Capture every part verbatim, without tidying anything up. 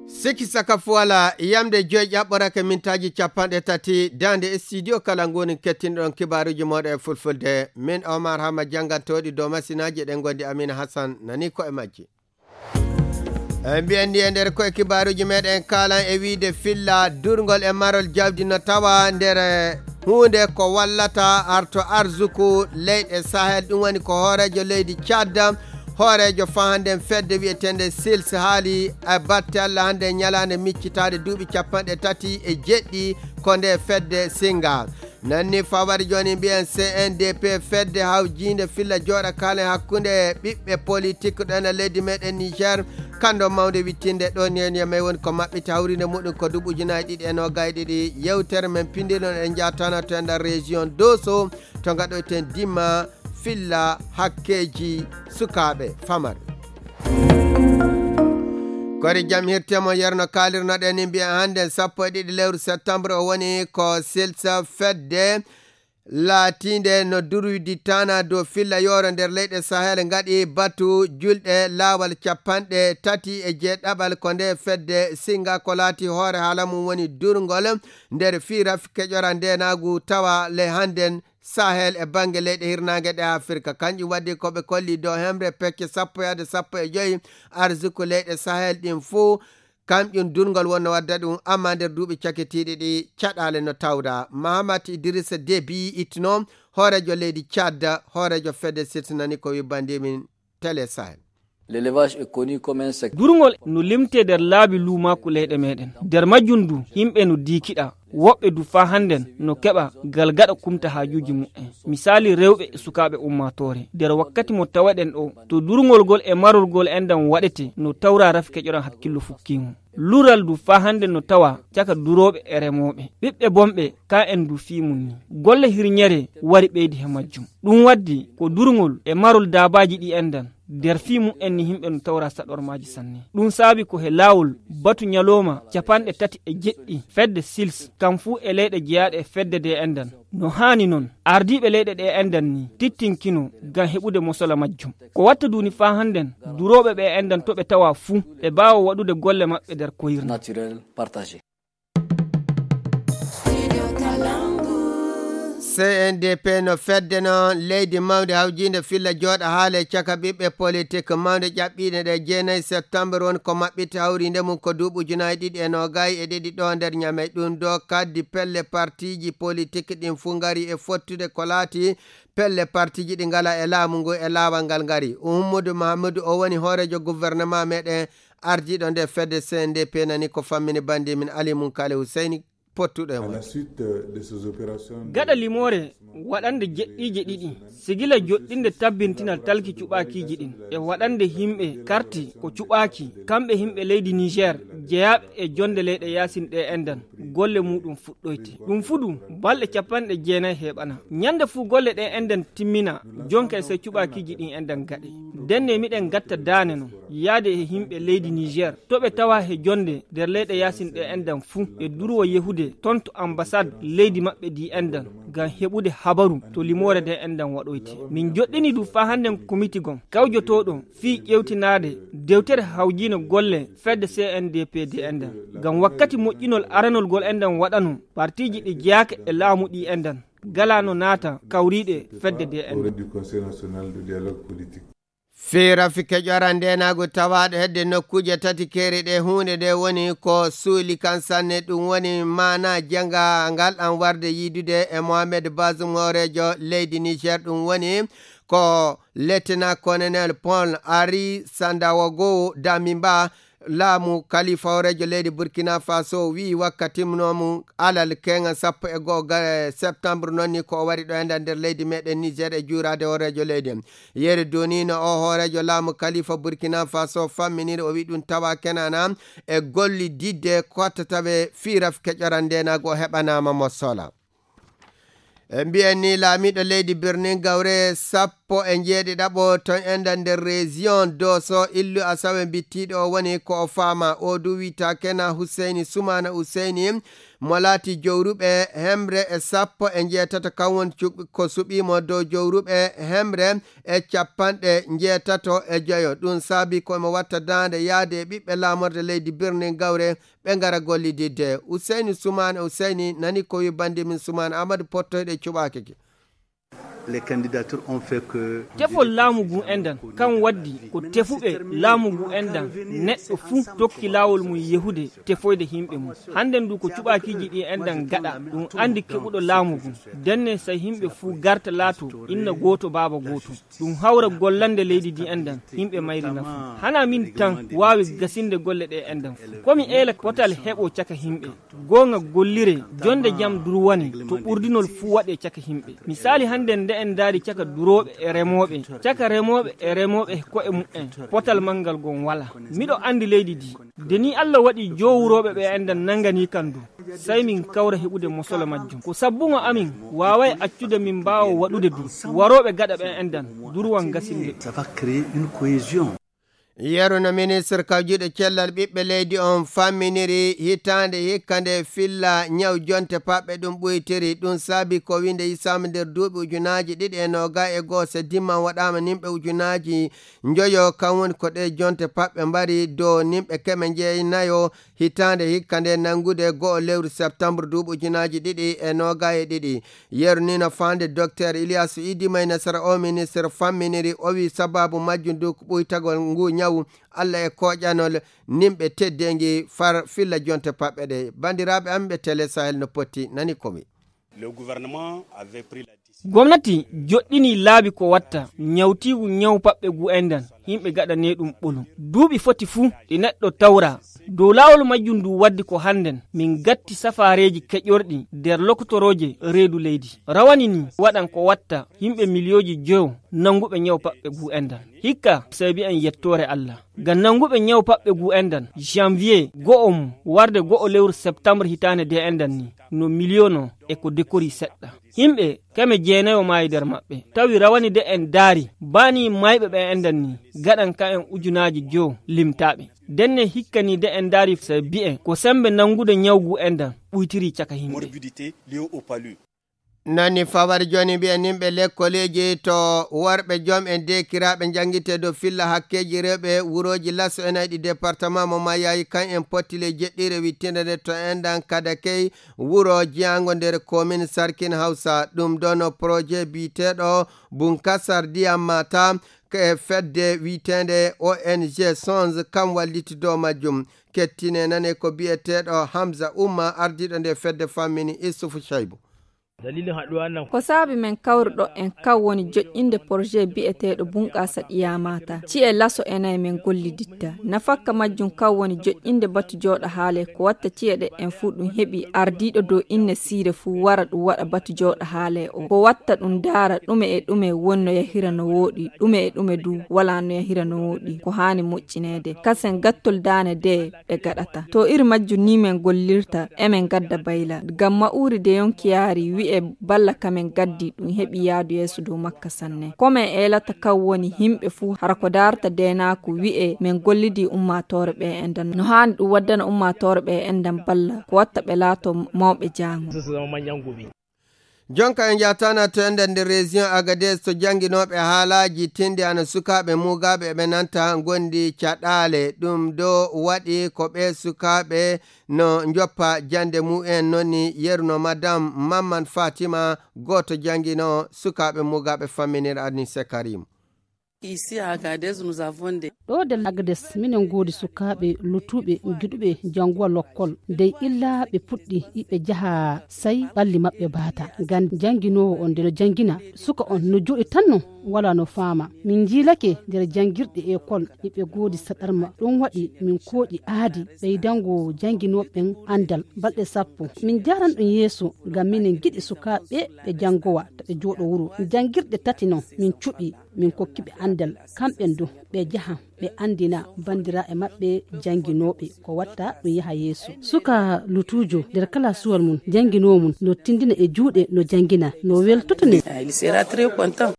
Siki saka fuwala yamde joyi ƴaɓɓorake mintaaji capanɗe tati daande e studio kala ngoni kettinɗon kibaaruji mooɗo e fulfulde. Min Omar Hama jangantoɗi dow masinaaji ɗen gondi Amina Hassan nani ko e majji. E mbiyen ni e nder koye kibaaruji meɗen kalan e wiide filla durngol e marol jawdi no tawa nder huunde ko wallata arto arzuku leyɗe Sahel, ɗum woni ko hooreejo leydi Tchad, hooreejo fahanden fedde wiyeteende sils haali e batte Allah hannde ñalaande miccitaade duuɓi capanɗe tati e jeɗɗi ko nde fedde singa. Nanni fawari jooni mbiyen C N D P fedde hawjiinde filla jooɗa kaalen hakkunde ɓiɓɓe politik ɗo ena leydi meɗen Niger. Kando mawnde wittinde ɗo ni en yamay woni ko maɓɓita hawrinde muɗum ko duuɓi ujunaaji ɗiɗi e noogay ɗiɗi. Yewtere men pindiron en jaatana to e nder région Dosso to ngaɗoyten dimma filla hakkeeji sukaaɓe famare. Kori jam hirte mo yerno kaalirnoɗen ni mbiyen hannden sappo e ɗiɗi lewru septembre o woni ko silsa fedde laatiinde no durwidi tana dow filla yooro nder leyɗe Sahel ngaɗi batu julɗe laawal capanɗe tati e jeeɗaɓal ko nde fedde singa ko laati hoore haala mum woni durngol nder fii rafi keƴora ndenaagu tawa le hannden Sahel e bannge leyɗe hirnaange ɗe Afirka. Kanƴum waddi ko ɓe kolli dow hemre pecce sappo yahde sappo e joyi arzuku leyɗe Sahel ɗin fuu. Kamƴum durngol wonno wadda ɗum, amma nder duuɓi cakitiiɗi ɗi caɗaale no tawda. Mahamat Idrissa Déby itno, hooreejo leydi Tchad, hooreejo fedde sirtinani ko wibbandimin Télé Sahel. L'élevage est connu comme un secteur. Durngol no limtee nder laabi luumaaku leyɗe meɗen. Nder majjum du, yimɓe no diikiɗa. Woɓɓe du faa hannden no keɓa gal gaɗa kumta haajuuji mu'en. Misaali rewɓe e sukaaɓe ummaatoore. Nder wakkati mo tawaɗen ɗo, to durngol gol e marol gol enɗan waɗete no tawra rafi keƴoran hakkillo fukkiingo. Lural du faa hannden no tawa caka durooɓe e remooɓe. Ɓiɓɓe bonɓe, ka en du fii mum ni. Golle hirñere wari ɓeydi he majjum. Ɗum waddi ko durngol e marol daabaaji ɗi enɗan. Nder fii mum en ni yimɓe no tawra saɗormaaji sanne. Ɗum saabi ko he laawol batu ñalooma capanɗe tati e jeɗɗi fedde sils, kam fuu e leyɗe jeyaaɗe e fedde de enɗan. No haani noon, ardiiɓe leyɗe ɗe enɗan ni tittinkino ngam heɓude mosola majjum. Ko watta duuni faa hannden, durooɓe ɓe enɗan to ɓe tawa fuu, ɓe mbaawa waɗude golle maɓɓe nder koyirnde. Naturel partagé. C N D P no fedde noon leydi mawnde hawjiinde filla jooɗa haale caka ɓiɓɓe politik mawnde ƴaɓɓiiɗe ɗe jeenayi septembre woni ko maɓɓiti hawriinde mum ko duuɓi ujunaaji ɗiɗi e noogay e ɗiɗi ɗo nder Ñamey. Ɗum ɗo kaddi pelle partiiji politik ɗin fuu ngari e fottude ko laati pelle partiiji ɗi ngala e laamu ngu e laawal ngal ngari. Uhummudu Mahamudu o woni hooreejo gouvernement meɗen ardiiɗo nde fedde C N D P nani ko fammini bandi min Ali Munkale Huseyni pottuɗo e À la mon. Suite, euh, de ces opérations de Gaɗa limoore waɗande jeɗɗiije ɗiɗi, sigila joɗɗinde tabbintinal talki cuɓaakiiji ɗin e waɗande yimɓe karti ko cuɓaaki, kamɓe yimɓe leydi Niger, jeyaaɓe e jonde leyɗe yaasin ɗe enɗan, golle muɗum fuɗɗoyte. Ɗum fuɗu balɗe capanɗe jeenayi heɓana. Ñande fuu golle ɗe enɗan timmina, jonka e sey cuɓaakiiji ɗin enɗan gaɗe. Ndenne miɗen gatta daane non, yaade e yimɓe leydi Niger, to ɓe tawa he jonde nder leyɗe yaasin ɗe enɗan fuu, ɓe durwo yehude ton to ambassade leydi maɓɓe ndi enɗan, ngam heɓude habaru to limoore nde enɗan waɗoyte. Min joɗɗini du faa hannden komiti gon, kawjotooɗo fii ƴewtinaade dewtere hawjiino golle fedde C N D P nde enɗan. Ngam wakkati moƴƴinol aranol gol enɗan waɗano, partiiji ɗi jeyaaka e laamu ɗi enɗan, galaano naata kawriiɗe fedde nde enɗan. Au du Conseil national de dialogue politique. Fii rafi keƴora ndeenaagu tawaaɗo hedde nokkuuje tati keeri ɗe huunde nde woni ko suuli kan sanne, ɗum woni maana janga ngal an warde yiidude e Mohamed Bazoum hooreejo leydi Niger, ɗum woni ko Lieutenant Colonel Paul Henri Sandaogo Damimba, laamu kalifa hooreejo leydi Burkina Faso wi'i wakkati timmunoomu alal keŋal sappo e go'o ga-, septembre noon ni ko o wari ɗo enɗan nder leydi meɗen Niger e juuraade hooreejo leydi. Yeru duunino o hooreejo laamu kalifa Burkina Faso famminiri o wi'i ɗum tawa kenana e gollididde kottataɓe fii rafi keƴora ndeenaagu o heɓanaama mo sola. E mbiyen ni laamiiɗo leydi Birnin Gawre sappo sappo e njeeɗiɗaɓo ton enɗan nder région Doso, illu asawe bittiiɗo o woni ko o faama. O du wiyta Kena Huseyni Sumaana Huseyni, mo laati jowruɓe hemre e sappo e njeetato, kan woni cu-, ko suɓiimo dow jowruɓe hemre e capanɗe njeetato e joyo. Ɗum saabi ko mo watta daande yaade e ɓiɓɓe laamorde leydi Birnin Gawre, ɓe ngara gollididde. Huseyni Sumaana Huseyni nani ko wi bandi min Sumaana Amadu Pottoyɗo e cuɓaaki ki. Les candidatures ont fait que tefol laamu ngu enɗan, kan waddi ko tefuɓe laamu ngu enɗan, neɗɗo fuu tokki laawol mum yehude tefoyde yimɓe mum. Hannden du ko cuɓaakiiji ɗi enɗan gaɗa, ɗum anndi keɓuɗo laamu ngu. Ndenne so yimɓe fuu garta laato inna gooto baaba gooto. Ɗum hawra gollande leydi ndi enɗan, yimɓe mayri nafu. Hana min tan waawi gasinde golle ɗe enɗan fuu. Ko mi eela potal heɓo caka yimɓe. Goonga gollire, jonde jam durwane, to ɓurdinol fuu waɗe caka yimɓe. Misaali hannden nde en ndaari caka durooɓe e remooɓe, caka remooɓe e remooɓe ko'e mumen, potal manngal gon wala. Miɗo anndi leydi ndi. Nde ni Allah waɗi jowurooɓe ɓe enɗan nanngani kan du. Sey min kawra heɓude mosolo majjum. Ko sabbungo amin, waaway accude min mbaawa waɗude du. Warooɓe gaɗa ɓe enɗan, durwan gasinde. Ça va créer une cohésion. Yeru no ministre kawjuɗo cellal ɓiɓɓe leydi on famminiri hitaande hikka nde filla ñaw jonte paɓɓe ɗum ɓuytiri. Ɗum saabi ko winde yisaama nder duuɓi ujunaaji ɗiɗi e nooga e goo se dimman waɗaama nimɓe ujunaaji njoyo, kan woni ko ɗe jonte paɓɓe mbari dow nimɓe keme njeenayo hitaande hikka nde nanngude go'o lewru septembre duuɓi ujunaaji ɗiɗi e nooga e ɗiɗi. Yeru ni no faande Docteur Ilyasu Idi May Nasara o ministre famminiri, o wi sababu majjum du ko ɓuytagol ngu ñawu Allah e kooƴanol nimɓe teddeengi far filla jonte paɓɓe ɗe. Banndiraaɓe am ɓe Télé Sahel no potti nani ko wi. Le gouvernement avait pris la décision. Gomnati joɗɗini laabi ko watta ñawtiigu ñaw paɓɓe gu enɗan, yimɓe gaɗane ɗum ɓolum. Duuɓi foti fuu ɗi neɗɗo tawra. Dow laawol majjum ndu waddi ko hannden min gatti safaareeji keƴorɗi nder lokotorooje reedu leydi. Rawani ni waɗan ko watta yimɓe miliyooji joyo nannguɓe ñaw paɓɓe gu enɗan. Hikka sey mbi'en yettoore Allah. Ngam nannguɓe ñaw paɓɓe gu enɗan, janvier go'o mum warde go'o lewru septembre hitaande de enɗan ni, no miliyono e ko dekori seɗɗa. Yimɓe keme jeenayo maayi nder maɓɓe. Tawi rawani de en daari, baa ni mayɓe ɓe enɗan ni, gaɗan ka en ujunaaji joyo limtaaɓe. Ndenne hikka ni de en daari sey bi'en ko sembe nanngude ñaw gu enɗan ɓuytiri caka yimɓe. Morbidité liée au palu. Nani fawari jooni mbiyen nimɓe lekkoleeji to worɓe joom en deekiraaɓe njanngitee dow filla hakkeeji rewɓe wurooji laso e nayɗi département mo Mayayi kan en pottile jeɗɗire wittinde nde to enɗan Kadakey wuro jeyaango nder komin Sarkin Hawsa. Ɗum ɗono projet biyeteeɗo Bunkasar Ndiyam Mata e fedde wiyeteende O N G Songe kam walliti dow majjum. Kettine nane ko biyeteeɗo Hamza Umma ardiiɗo nde fedde fammini Issoufou Chaibou. Dalilin haɗuwa nan. Ko saabi men kawruɗo en kan woni joƴƴinde projet biyeteeɗo Bunqasa Ɗiya Mata. Ci'e laso e nayi men golliditta. Nafakka majjum kan woni joƴƴinde batu jooɗo haale ko watta ci'e ɗe en fuu ɗum heɓi ardiiɗo dow inne siire fuu wara ɗum waɗa batu jooɗo haale o. Ko watta ɗum daara ɗume e ɗume wonno yahira no wooɗi, ɗume e ɗume du wala no yahira no wooɗi. Ko haani moƴƴineede. Kasen gattol daane de ɓe gaɗata. To iri majjum ni men gollirta, emen gadda bayla. Ngam ma'uri de yonki yaari wi'e balla ka men gaddi ɗum heɓi yaadu yeeso dow makka sanne. Ko men eelata kan woni yimɓe fuu hara ko daarata deenaaku wi'e men gollidi ummaatoore ɓe enɗan. No haani ɗum waddana ummaatoore ɓe enɗan balla ko watta ɓe laato mawɓe jaango. Jonka en njaatana to enɗan nder région Agadez to jannginooɓe haalaaji tindi ana sukaaɓe mugaaɓe ɓe nanta ngondi caɗaale. Ɗum ɗo waɗi ko ɓe sukaaɓe no njoppa jannde mumen noni yeruno Madame Mamman Fatima gooto janngino sukaaɓe mugaaɓe famminir Anise Karim. Ici à Agadez, nous avons des Ɗo de Agadez, minen ngoodi sukaaɓe lutuuɓe giɗuɓe jannguwa lokkol. Dey illa ɓe puɗɗi iɓe jaha say ɓalli maɓɓe baata. Ngam jannginoowo on nde no janngina suka on no jooɗi tan non wala no faama. Min njiilake nder janngirɗe ekol iɓe ngoodi saɗarma. Ɗum waɗi min kooƴi aadi ɓeydango jannginooɓe ɓen anndal balɗe sappo. Min njaaran ɗum yeeso ngam minen ngiɗi sukaaɓe ɓe janngowa ta ɓe jooɗo wuro. Janngirɗe tati non min cuɓi min kokki ɓe anndal. Kamɓen du ɓe jahan ɓe anndina banndiraaɓe maɓɓe jannginooɓe ko watta ɗum yaha yeeso. Suka lutuujo nder kalaasuwal mum jannginoowo mum no tinndina e juuɗe no janngina no weltoto ni. Ah, il sera très content.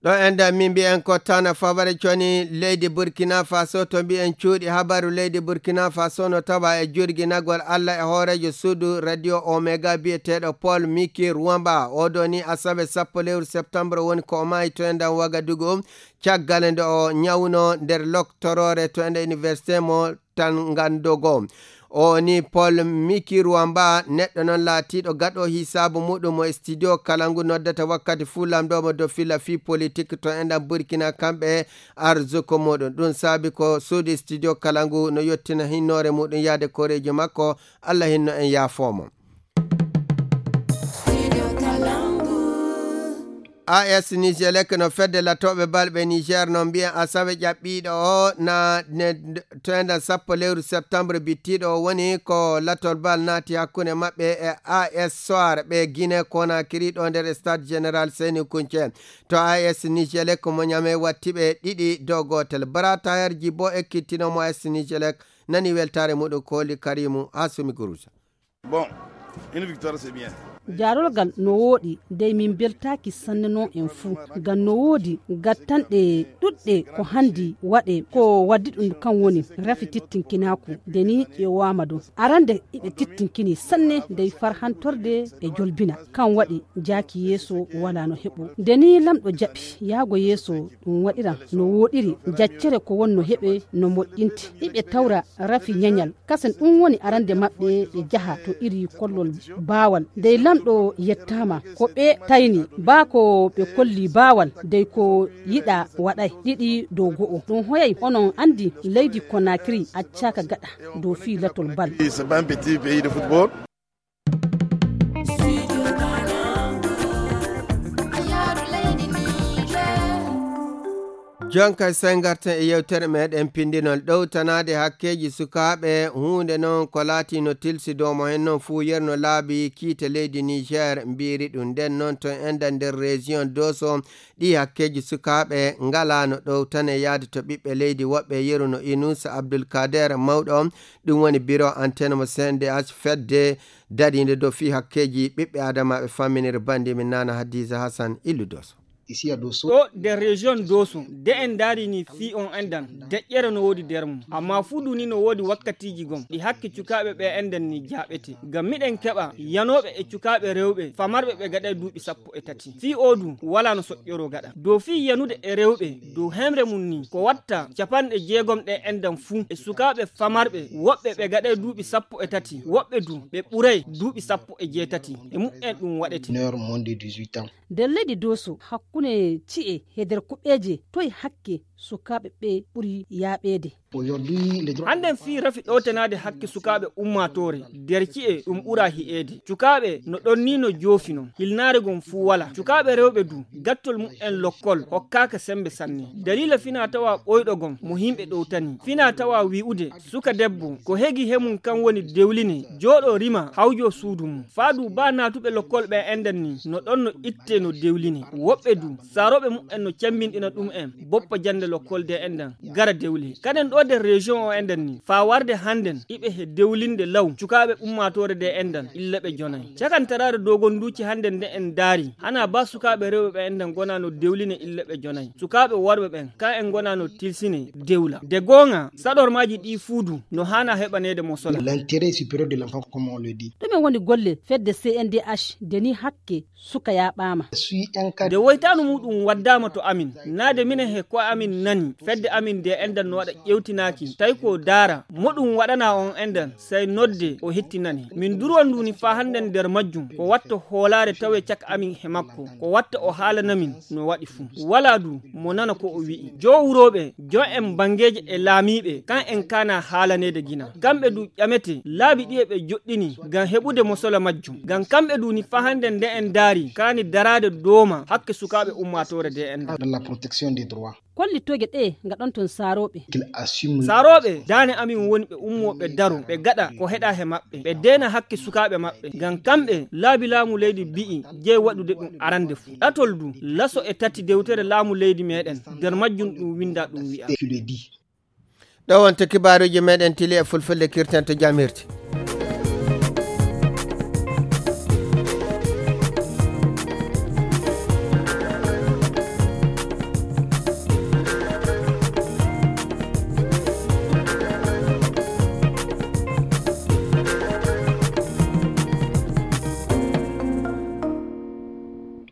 Ɗo enda min mbiyen ko tana fabare coni leydi Burkina Faso, to mbiyen cuuɗi habaru leydi Burkina Faso no tawa e jurginagol Allah e hooreejo suudu Radio Omega biyeteeɗo Paul Miki Ruwamba. Oɗo ni asawe sappo lewru septembre woni ko o maayi to endan Wagadugu, caggal nde o ñawno nder loktoroore to enda université mo Tangandogo. O ni Paul Miki Ruwamba, neɗɗo noon laatiiɗo gaɗo hisaabu muɗum mo studio kala ngu noddata wakkati fuu lamndoomo dow fila fii politik to enɗan Burkina kamɓe arzuko muɗum. Ɗum saabi ko suudu studio kala ngu no yottina hinnoore muɗum yaade koreeji makko. Allah hinno en yaafoomo. A S Nigelec no fedde latooɓe balɓe Niger no mbiya asawe ƴaɓɓiiɗo o na ne to enɗan sappo lewru septembre bittiiɗo o woni ko latol bal naati hakkunde maɓɓe e A S Soir ɓe Guinée Conakry ɗo nder stade général Seni Kunce. To A S Nigelec mo ñame watti ɓe ɗiɗi dow gootel. Bratayarji bo ekkittino mo A S Nigelec nani weltaare muɗum kooli Karimu Hasumi Guruja. Bon, une victoire, c'est bien. Jaarolgal no wooɗi, dey min mbeltaaki sanne noon en fuu. Ngam no woodi gattanɗe ɗuɗɗe ko hanndi waɗe, ko waddi ɗum kam woni rafi tittinkinaaku. Nde ni ƴeewaama dow. Arande iɓe tittinkini sanne dey farhantorde e jolbina. Kam waɗi jaaki yeeso walaa no heɓo. Nde ni lamɗo jaɓi yaago yeeso ɗum waɗira no wooɗiri. Jaccere ko won no heɓe no moƴƴinti. Iɓe tawra rafi ñañal. Kasen ɗum woni arande maɓɓe ɓe jaha to iri kollol baawal. Dey lamɗo yettaama ko ɓe tayni baa ko ɓe kolli baawal dey ko yiɗa waɗay ɗiɗi dow go'o. Ɗum hoyay onon anndi leydi Conakry accaaka gaɗa dow fii latol bal. C'est pas un petit pays de football. Jonka sey ngarten e yewtere meɗen pindinol ɗowtanaade hakkeeji sukaaɓe, huunde noon ko laati no tilsi dow mo hen noon fuu yerno laabi kiite leydi Niger mbiiri ɗum. Nden noon to enɗan nder région Doso, ɗi hakkeeji sukaaɓe ngalaa no ɗowtane yaade to ɓiɓɓe leydi woɓɓe yeru no Inus Abdul Kader mawɗo, ɗum woni biro antenne mo C N D H fedde dariinde dow fii hakkeeji ɓiɓɓe adamaaɓe famminire banndi min Nana Hadiza Hassan illu Doso. Ɗo nder région Doso, de en ndaari ni fii on enɗan, deƴƴere no woodi nder mum. Amma fuu du ni no woodi wakkatiiji gom, ɗi hakke cukaaɓe ɓe enɗan ni jaaɓete. Ngam miɗen keɓa yanooɓe e cukaaɓe rewɓe, famarɓe ɓe gaɗay duuɓi sappo e tati. Fii oo du, walaa no soƴƴoroo gaɗa. Dow fii yanude e rewɓe, dow hemre mum ni, ko watta capanɗe jeegom ɗe enɗan fuu, e sukaaɓe famarɓe, woɓɓe ɓe gaɗay duuɓi sappo e tati, woɓɓe du, ɓe ɓuray duuɓi sappo e jeetati. E mu'en ɗum waɗete. Mineur moins de dix-huit ans. Nder leydi Doso, hakkunde ci'e he nder kuɓeeje, toye hakke sukaaɓe ɓe ɓuri yaaɓeede? Aujourd'hui, les droits Hannden fii rafi ɗowtanaade hakke sukaaɓe ummaatoore, nder ci'e ɗum ɓura hi'eede. Cukaaɓe no ɗon ni no joofi non, hilnaare gom fuu walaa. Cukaaɓe rewɓe du, gattol mu'en lokkol hokkaaka sembe sanne. Daliila finaa tawaa ɓoyɗo gom mo himɓe ɗowtani. Finaa tawaa wi'ude, suka debbo, ko hegi he mum kan woni dewline, jooɗo rima, hawjo suudu mum. Faa du baa naatuɓe lokkol ɓe enɗan ni, no ɗon no itte no dewline. Woɓɓe du, saarooɓe mu'en no cemmbinɗina ɗum'en, boppa jannde lokkol de enɗan, gara dewle. Kaden ɗo nder région o enɗan ni, faa warde hannden, iɓe he dewlinde law, cukaaɓe ummaatoore de enɗan, illa ɓe jonay. Cakantaraare dogonduuci hannden nde en ndaari, hanaa baa sukaaɓe rewɓe ɓe enɗan ngonaa no dewline illa ɓe jonay. Sukaaɓe worɓe ɓen, ka en ngonaa no tilsine dewla. De goonga, saɗormaaji ɗi fuu du, no haanaa heɓaneede mo sola. L'intérêt supérieur de l'enfant, comme on le dit. Ɗume woni golle fedde C N D H nde ni hakke suka yaaɓaama. Nde woytaanu muuɗum waddaama to amin, naade minen he ko'e amin nani, fedde amin nde enɗan no waɗa ƴewtinaaki, tawi ko daara, mo ɗum waɗanaa on enɗan, sey nodde o hettinane. Min durwa ndu ni faa hannden nder majjum, ko watta hoolaare tawee caka amin he makko, ko watta o haalana min no waɗi fuu. Walaa du, mo nana ko o wi'i. Joowurooɓe, jon'en banngeeje e laamiiɓe, kan en kaanaa haalaneede gina. Kamɓe du ƴamete, laabi ɗiye ɓe joɗɗini ngam heɓude mosola majjum. Ngam kamɓe du ni faa hannden nde en ndaari, kaani daraade dooma hakke sukaaɓe ummaatoore de en. De la protection des droits. Kollitooje ɗe ngaɗon ton saarooɓe. Saarooɓe, daane amin woni ɓe ummoo ɓe daro, ɓe gaɗa ko heɗaa he maɓɓe, ɓe deena hakke sukaaɓe maɓɓe. Ngam kamɓe, laabi laamu leydi mbi'i jey waɗude ɗum arande fuu. Ɗatol du, laso e tati dewtere laamu leydi meɗen, nder majjum ɗum winda ɗum wi'a. Ɗo wonta kibaaruuji meɗen tili e fulfulde kirten to jamirte.